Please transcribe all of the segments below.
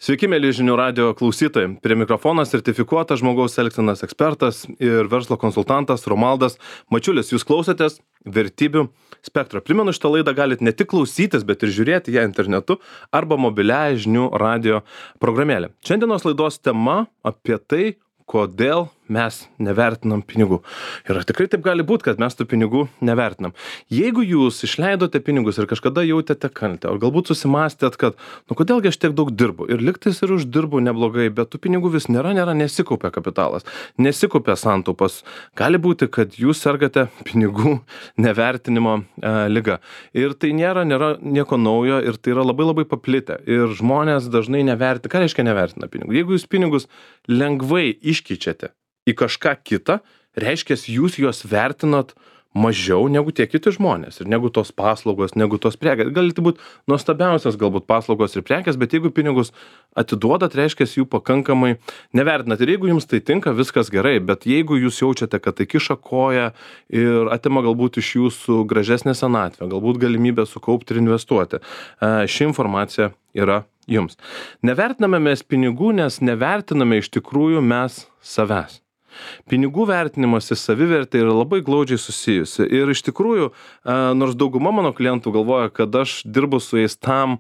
Sveiki, mėly žinių radio klausytojai. Prie mikrofono sertifikuotas žmogaus elgsenos ekspertas ir verslo konsultantas Romaldas Mačiulis. Jūs klausotės Vertybių spektro. Primenu, šitą laidą galite ne tik klausytis, bet ir žiūrėti ją internetu arba mobiliąją žinių radio programėlę. Šiandienos laidos tema apie tai, kodėl mes nevertinam pinigų. Ir ar tikrai taip gali būti, kad mes tų pinigų nevertinam? Jeigu jūs išleidote pinigus ir kažkada jautėte kaltę, o galbūt susimastėt, kad, kodėlgi aš tiek daug dirbu ir lygtais ir uždirbu neblogai, bet tų pinigų vis nėra, nesikaupia kapitalas, nesikaupia santaupas. Gali būti, kad jūs sergate pinigų nevertinimo liga. Ir tai nėra nieko naujo ir tai yra labai paplitę. Ir žmonės dažnai nevertina. Ką reiškia nevertina pinigų? Jeigu jūs pinigus lengvai iškeičiate į kažką kitą, reiškia, jūs juos vertinat mažiau negu tie kiti žmonės ir negu tos paslaugos, negu tos prekės. Galite būti nuostabiausias galbūt paslaugos ir prekės, bet jeigu pinigus atiduodat, reiškia, jų pakankamai nevertinat. Ir jeigu jums tai tinka, viskas gerai, bet jeigu jūs jaučiate, kad tai kiša koją ir atima galbūt iš jūsų gražesnę senatvę, galbūt galimybę sukaupti ir investuoti, ši informacija yra jums. Nevertiname mes pinigų, nes nevertiname iš tikrųjų mes savęs. Pinigų vertinimas į savivertę yra labai glaudžiai susijusi. Ir iš tikrųjų, nors dauguma mano klientų galvoja, kad aš dirbu su jais tam,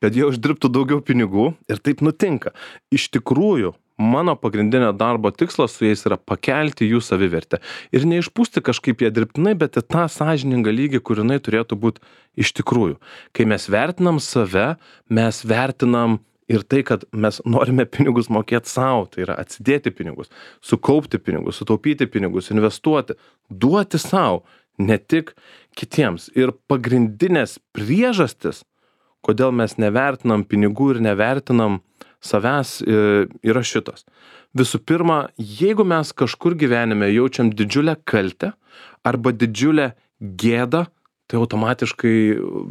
kad jie uždirbtų daugiau pinigų, ir taip nutinka. Iš tikrųjų, mano pagrindinio darbo tikslas su jais yra pakelti jų savivertę. Ir neišpūsti kažkaip ją dirbtinai, bet į tą sąžiningą lygį, kur jinai turėtų būti iš tikrųjų. Kai mes vertinam save, mes vertinam ir tai, kad mes norime pinigus mokėti savo, tai yra atsidėti pinigus, sukaupti pinigus, sutaupyti pinigus, investuoti, duoti savo, ne tik kitiems. Ir pagrindinės priežastis, kodėl mes nevertinam pinigų ir nevertinam savęs, yra šitos. Visų pirma, jeigu mes kažkur gyvenime jaučiam didžiulę kaltę arba didžiulę gėdą, tai automatiškai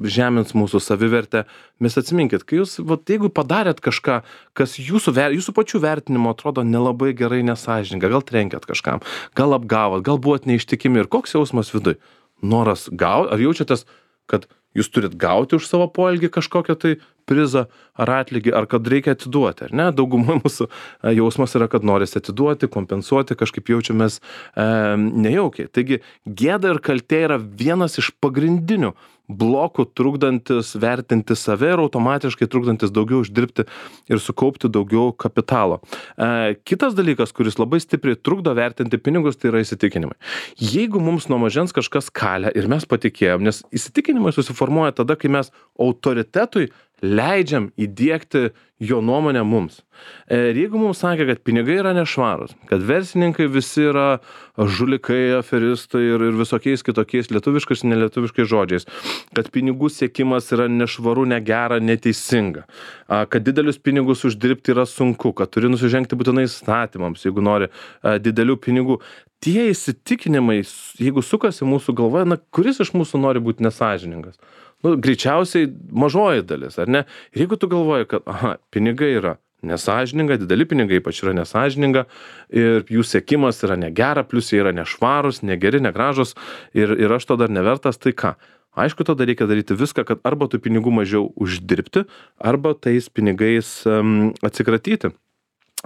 žemins mūsų savivertę. Mes atsiminkit, kai jūs, jeigu padarėt kažką, kas jūsų pačių vertinimo atrodo nelabai gerai, nesąžininga, gal trenkėt kažkam, gal apgavot, gal buvot neištikimi ir koks jausmas viduj? Noras gauti, ar jaučiatės, kad jūs turit gauti už savo poelgį kažkokią tai prizą ar atlygį, ar kad reikia atiduoti, ar ne? Daugumai mūsų jausmas yra, kad norisi atiduoti, kompensuoti, kažkaip jaučiamės nejaukiai. Taigi, gėda ir kaltė yra vienas iš pagrindinių blokų trukdantis vertinti save ir automatiškai trukdantis daugiau uždirbti ir sukaupti daugiau kapitalo. Kitas dalykas, kuris labai stipriai trukdo vertinti pinigus, tai yra įsitikinimai. Jeigu mums nuo mažens kažkas kalia ir mes patikėjom, nes įsitikinimai susiformuoja tada, kai mes autoritetui leidžiam įdiegti jo nuomonę mums. Ir jeigu mums sakė, kad pinigai yra nešvarūs, kad verslininkai visi yra žulikai, aferistai ir visokiais kitokiais lietuviškais ir nelietuviškais žodžiais, kad pinigų siekimas yra nešvaru, negera, neteisinga, kad didelius pinigus uždirbti yra sunku, kad turi nusižengti būtinai įstatymams, jeigu nori didelių pinigų. Tie įsitikinimai, jeigu sukasi mūsų galvoje, kuris iš mūsų nori būti nesąžiningas? Greičiausiai mažoji dalis, ar ne? Ir jeigu tu galvoji, kad pinigai yra nesąžininga, dideli pinigai ypač yra nesąžininga ir jų siekimas yra negera, plus jie yra nešvarus, negeri, negražus ir aš to dar nevertas, tai ką? Aišku, tada reikia daryti viską, kad arba tų pinigų mažiau uždirbti, arba tais pinigais atsikratyti.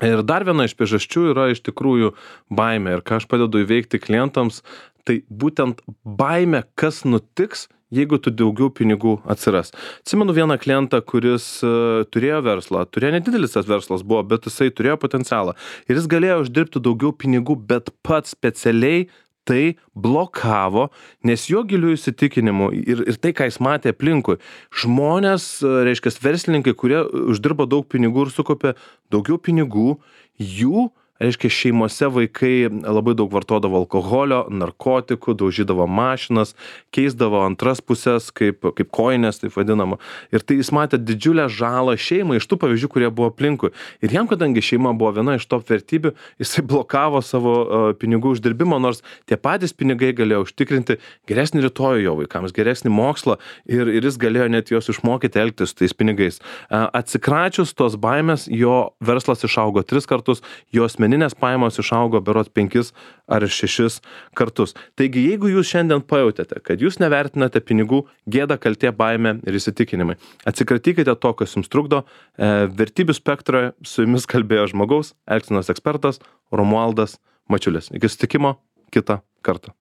Ir dar viena iš priežasčių yra iš tikrųjų baimė. Ir ką aš padedu įveikti klientams, tai būtent baimė, kas nutiks, jeigu tu daugiau pinigų atsiras. Atsimenu vieną klientą, kuris turėjo verslą, nedidelis tas verslas buvo, bet jisai turėjo potencialą. Ir jis galėjo uždirbti daugiau pinigų, bet pats specialiai tai blokavo, nes jo gilių įsitikinimų ir tai, ką jis matė aplinkui, žmonės, reiškia, verslininkai, kurie uždirba daug pinigų ir sukaupia daugiau pinigų, jų, reiškia, šeimose vaikai labai daug vartodavo alkoholio, narkotikų, daužydavo mašinas, keisdavo antras pusės, kaip kojinės, taip vadinama. Ir tai jis matė didžiulę žalą šeimai iš tų pavyzdžių, kurie buvo aplinkui. Ir jam, kadangi šeima buvo viena iš top vertybių, jisai blokavo savo pinigų uždirbimo, nors tie patys pinigai galėjo užtikrinti geresnį rytojų jo vaikams, geresnį mokslą ir jis galėjo net juos išmokyti elgtis su tais pinigais. Atsikračius tos baimės, jo verslas išaugo 3 kartus, jo asmeninė asmeninės pajamos išaugo berods 5 ar 6 kartus. Taigi, jeigu jūs šiandien pajautėte, kad jūs nevertinate pinigų, gėda, kaltė, baimė ir įsitikinimai, atsikratykite to, kas jums trukdo. Vertybių spektroje su jumis kalbėjo žmogaus elgsenos ekspertas Romualdas Mačiulis. Iki susitikimo kitą kartą.